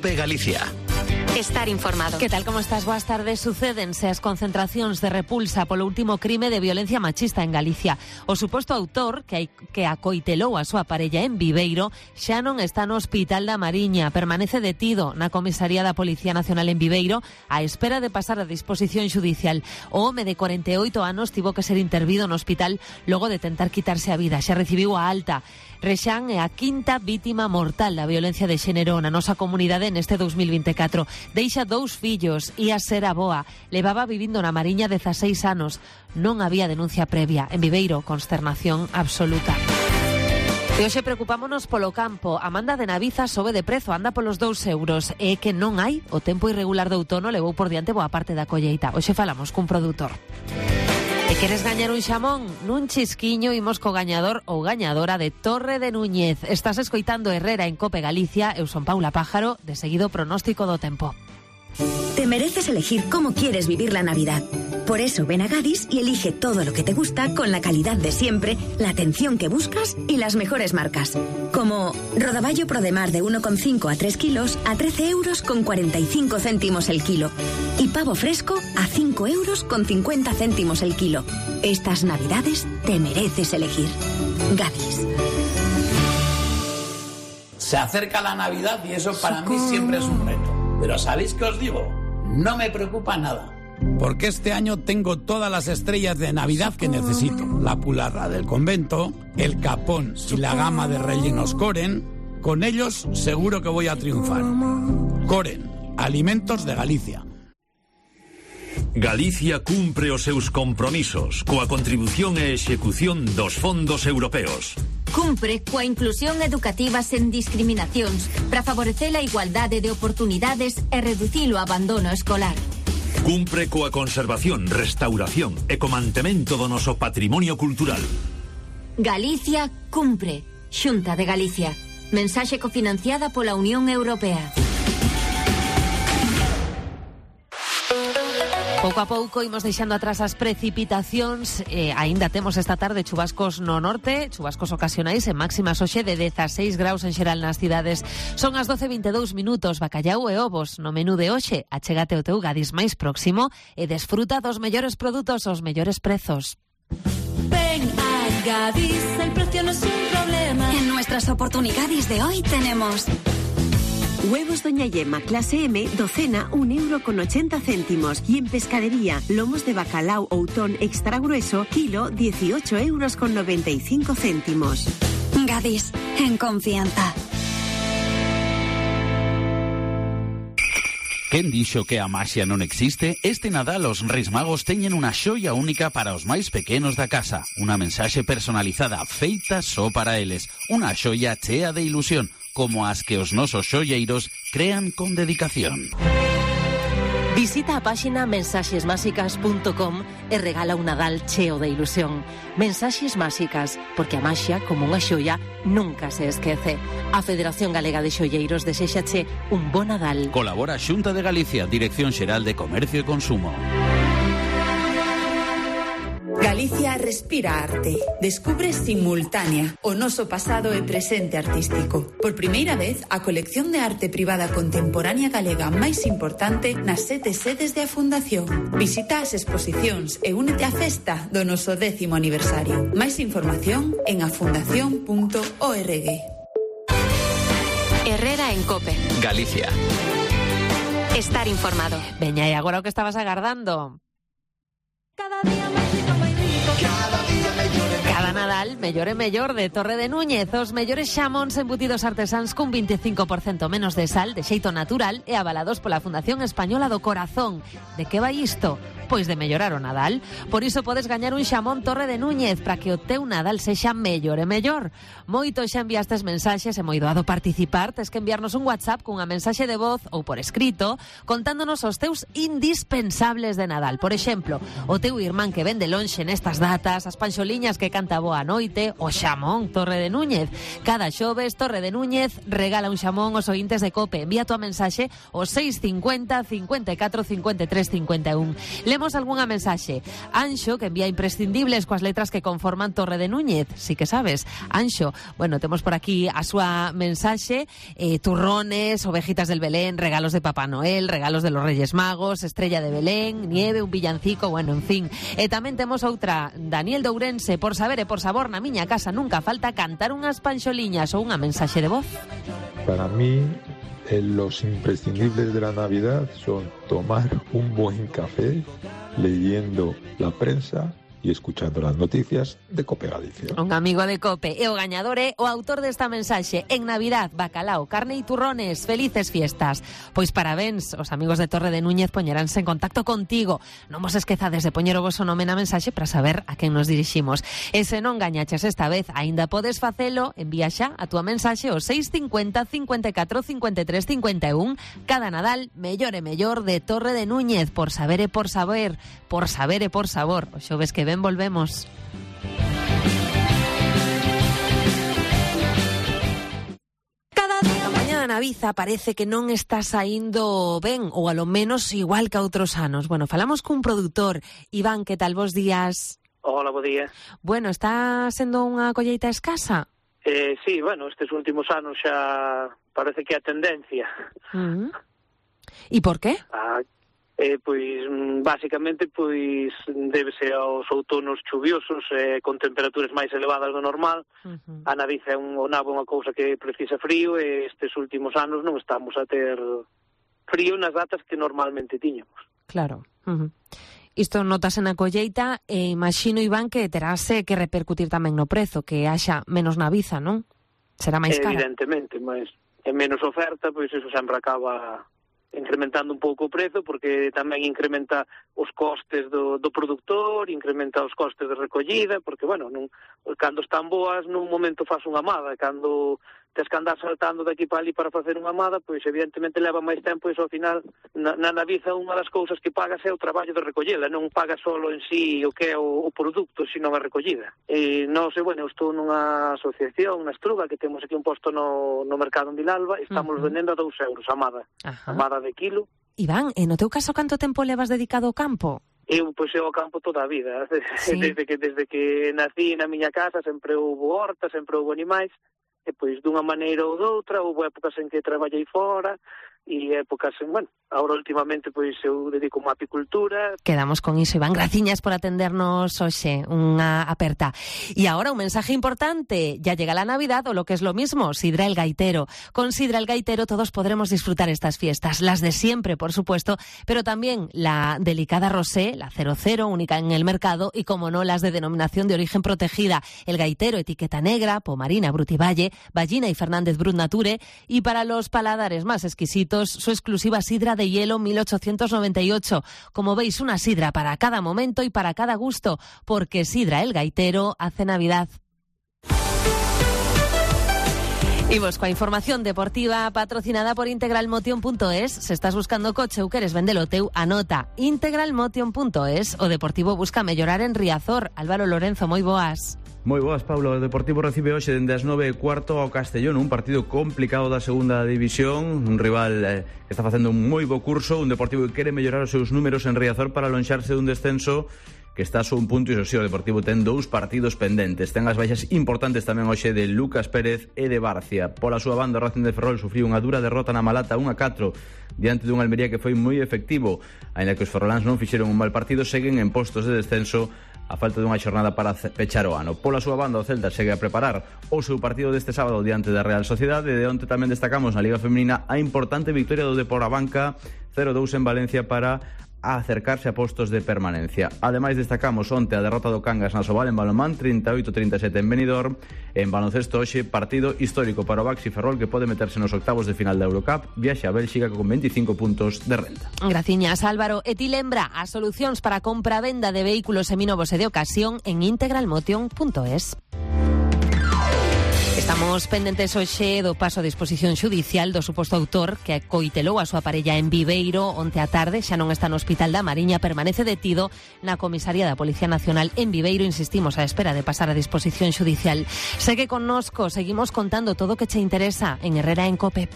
COPE Galicia. Estar informado. Que tal, como estás? Boas tardes. Sucédense as concentracións de repulsa polo último crime de violencia machista en Galicia. O suposto autor, que acoitelou a súa parella en Viveiro, xa non está no Hospital da Mariña. Permanece detido na comisaría da Policía Nacional en Viveiro á espera de pasar a disposición xudicial. O home de 48 anos tivo que ser intervido no hospital logo de tentar quitarse a vida. Xa recibiu a alta. Rexán é a quinta vítima mortal da violencia de xénero na nosa comunidade neste 2024. Deixa 2 fillos, ia ser avoa. Levaba vivindo na Mariña 16 anos. Non había denuncia previa. En Viveiro, consternación absoluta. E hoxe preocupámonos polo campo. A manda de Naviza sobe de prezo, anda polos 2 euros. E que non hai, o tempo irregular de outono levou por diante boa parte da colleita. Hoxe falamos cun produtor. E queres gañar un xamón? Nun chisquiño imos co gañador ou gañadora de Torre de Núñez. Estás escoitando Herrera en Cope Galicia. Eu son Paula Pájaro, de seguido pronóstico do tempo. Te mereces elegir cómo quieres vivir la Navidad. Por eso ven a Gadis y elige todo lo que te gusta con la calidad de siempre, la atención que buscas y las mejores marcas. Como rodaballo Prodemar de 1,5 a 3 kilos a 13 euros con 45 céntimos el kilo. Y pavo fresco a 5 euros con 50 céntimos el kilo. Estas Navidades te mereces elegir. Gadis. Se acerca la Navidad y eso para mí siempre es un reto. Pero ¿sabéis qué os digo? No me preocupa nada. Porque este año tengo todas las estrellas de Navidad que necesito. La pularra del convento, el capón y la gama de rellenos Coren. Con ellos seguro que voy a triunfar. Coren, alimentos de Galicia. Galicia cumpre os seus compromisos coa contribución e execución dos fondos europeos. Cumpre coa inclusión educativa sen discriminacións para favorecer a igualdade de oportunidades e reducir o abandono escolar. Cumpre coa conservación, restauración e co mantemento do noso patrimonio cultural. Galicia cumpre. Xunta de Galicia. Mensaxe cofinanciada pola Unión Europea. Pouco a pouco imos deixando atrás as precipitacións. Aínda temos esta tarde chubascos no norte, chubascos ocasionais en máximas hoxe de 16 graus en xeral nas cidades. Son as 12:22 minutos. Bacallau e ovos no menú de hoxe. Achégate o teu Gadis máis próximo e desfruta dos mellores produtos aos mellores prezos. Ven a Gadis, el precio no es un problema. En nuestras oportunidades de hoy tenemos... Huevos Doña Yema clase M, docena 1,80 €. Y en pescadería, lomos de bacalao Outón extra grueso, kilo 18,95 €. Gadis, en confianza. Quen dixo que a maxia non existe? Este Nadal os Reis Magos teñen unha xoia única para os máis pequenos da casa. Unha mensaxe personalizada feita só para eles. Unha xoia chea de ilusión, como as que os nosos xoieiros crean con dedicación. Visita a páxina mensaxesmásicas.com e regala un Nadal cheo de ilusión. Mensaxes Máxicas, porque a maxia, como unha xoia, nunca se esquece. A Federación Galega de Xoieiros deséxache un bon Nadal. Colabora Xunta de Galicia, Dirección Xeral de Comercio e Consumo. Galicia respira arte. Descubre Simultánea, o noso pasado e presente artístico. Por primeira vez, a colección de arte privada contemporánea galega máis importante nas 7 sedes de a Fundación. Visita as exposicións e únete á festa do noso 10º aniversario. Máis información en afundación.org. Herrera en Cope. Galicia. Estar informado. Veña, e agora o que estabas agardando? Cada día máis rico, máis rico. Cada Nadal, mellor e mellor de Torre de Núñez. Os mellores xamóns embutidos artesáns cun 25% menos de sal, de xeito natural e avalados pola Fundación Española do Corazón. De que vai isto? Pois de mellorar o Nadal. Por iso podes gañar un xamón Torre de Núñez para que o teu Nadal sexa mellor e mellor. Moito xa enviastes mensaxes e moi doado participar. Tes que enviarnos un WhatsApp cunha mensaxe de voz ou por escrito contándonos os teus indispensables de Nadal. Por exemplo, o teu irmán que vende lonxe nestas datas, as panxoliñas que canta boa noite, o xamón Torre de Núñez. Cada xoves Torre de Núñez regala un xamón aos ointes de Cope. Envía a tua mensaxe ao 650 54 53 51. Temos algunha mensaxe. Anxo, que envía imprescindibles coas letras que conforman Torre de Núñez. Sí que sabes. Anxo, bueno, temos por aquí a súa mensaxe, turrones, ovejitas del Belén, regalos de Papá Noel, regalos de los Reyes Magos, estrella de Belén, nieve, un villancico, bueno, en fin. E tamén temos outra, Daniel de Ourense, por saber e por sabor, na miña casa nunca falta cantar unhas panxoliñas ou unha mensaxe de voz. Para mí, los imprescindibles de la Navidad son tomar un buen café, leyendo la prensa y escuchando las noticias de Cope Galicia. Un amigo de Cope e o gañador é o autor desta mensaxe. En Navidad, bacalao, carne e turrones, felices fiestas. Pois parabéns, os amigos de Torre de Núñez poñeránse en contacto contigo. Non vos esquezades de poñer o voso nome na mensaxe para saber a quen nos diriximos. E se non gañaches esta vez, aínda podes facelo, envía xa a túa mensaxe ao 650 54 53 51. Cada Nadal, mellor e mellor de Torre de Núñez, por saber e por saber, por saber e por sabor. O xoves que ven volvemos. Cada día a mañá da Naviza parece que non está saindo ben, ou a lo menos igual que a outros anos. Bueno, falamos cun produtor. Iván, que tal, vos días? Hola, bo día. Bueno, está sendo unha colleita escasa? Sí, bueno, estes últimos anos xa parece que é a tendencia. E por qué? Pois, basicamente, pois débese aos outonos chuviosos, con temperaturas máis elevadas do normal. A Naviza é o nabo unha cousa que precisa frío, e estes últimos anos non estamos a ter frío nas datas que normalmente tiñamos. Claro. Isto notase na colleita, e imagino, Iván, que terase que repercutir tamén no prezo, que haxa menos Naviza, non? Será máis cara. Evidentemente, mas é menos oferta, pois iso sempre acaba incrementando un pouco o prezo, porque tamén incrementa os costes do produtor, incrementa os costes de recollida, porque, bueno, cando están boas, nun momento faz unha amada, cando tes que andar saltando daqui para ali para facer unha amada, pois evidentemente leva máis tempo, e ao final, na Naviza, unha das cousas que pagas é o traballo de recollida, non pagas solo en sí o que é o produto, sino a recollida. E nós, bueno, eu estou nunha asociación, na Estruga, que temos aquí un posto no mercado en Vilalba, e estamos vendendo a 2 euros a amada, amada de kilo. Iván, e no teu caso, canto tempo levas dedicado ao campo? Eu, pois, ao campo toda a vida. Sí. Desde que nací na miña casa, sempre houve horta, sempre houve animais, e, pois, dunha maneira ou doutra, houve épocas en que traballei fora, e épocas en, bueno, agora últimamente, pois, eu dedico a apicultura. Quedamos con iso, Iván. Graciñas por atendernos hoxe, unha aperta. E agora un mensaje importante. Ya llega la Navidad, o lo que es lo mismo, Sidra el Gaitero. Con Sidra el Gaitero todos podremos disfrutar estas fiestas, las de siempre, por supuesto, pero también la delicada rosé, la 00, única en el mercado, y como no, las de denominación de origen protegida, el Gaitero, etiqueta negra, Pomarina, Brutivalle, Ballina y Fernández Brut Nature, y para los paladares más exquisitos, su exclusiva sidra de hielo 1898. Como veis, una sidra para cada momento y para cada gusto, porque Sidra el Gaitero hace Navidad. Y vos, coa información deportiva patrocinada por integralmotion.es, se estás buscando coche ou queres vendelo teu, anota integralmotion.es. O Deportivo busca mellorar en Riazor. Álvaro Lorenzo, moi boas. Moi boas, Pablo. O Deportivo recibe hoxe dende as 9:15 ao Castellón, un partido complicado da segunda división, un rival que está facendo un moi bo curso, un Deportivo que quere mellorar os seus números en Riazor para lonxarse dun descenso que está só un punto, e iso sí, o Deportivo ten 2 partidos pendentes. Ten as baixas importantes tamén hoxe de Lucas Pérez e de Barcia. Pola súa banda, o Racing de Ferrol sufriu unha dura derrota na Malata 1-4 diante dun Almería que foi moi efectivo. Aínda que os ferroláns non fixeron un mal partido, seguen en postos de descenso a falta dunha xornada para pechar o ano. Pola súa banda, o Celta segue a preparar o seu partido deste sábado diante da Real Sociedade, de onte tamén destacamos na Liga Femenina a importante victoria do Depor a Banca 0-2 en Valencia para acercarse a postos de permanencia. Ademais, destacamos onte a derrota do Cangas na Sobal en balonmán 38-37 en Benidorm. En baloncesto hoxe, partido histórico para o Baxi Ferrol, que pode meterse nos octavos de final da Eurocup, viaxe a Bélxica con 25 puntos de renta. Graciñas, Álvaro. E ti lembra as solucións para compra-venda de vehículos seminovos e de ocasión en integralmotion.es. Estamos pendentes hoxe do paso a disposición xudicial do suposto autor que coitelou a súa parella en Viveiro onte á tarde. Xa non está no Hospital da Mariña, permanece detido na comisaría da Policía Nacional en Viveiro. Insistimos á espera de pasar a disposición xudicial. Segue connosco, seguimos contando todo o que che interesa en Herrera en Cope.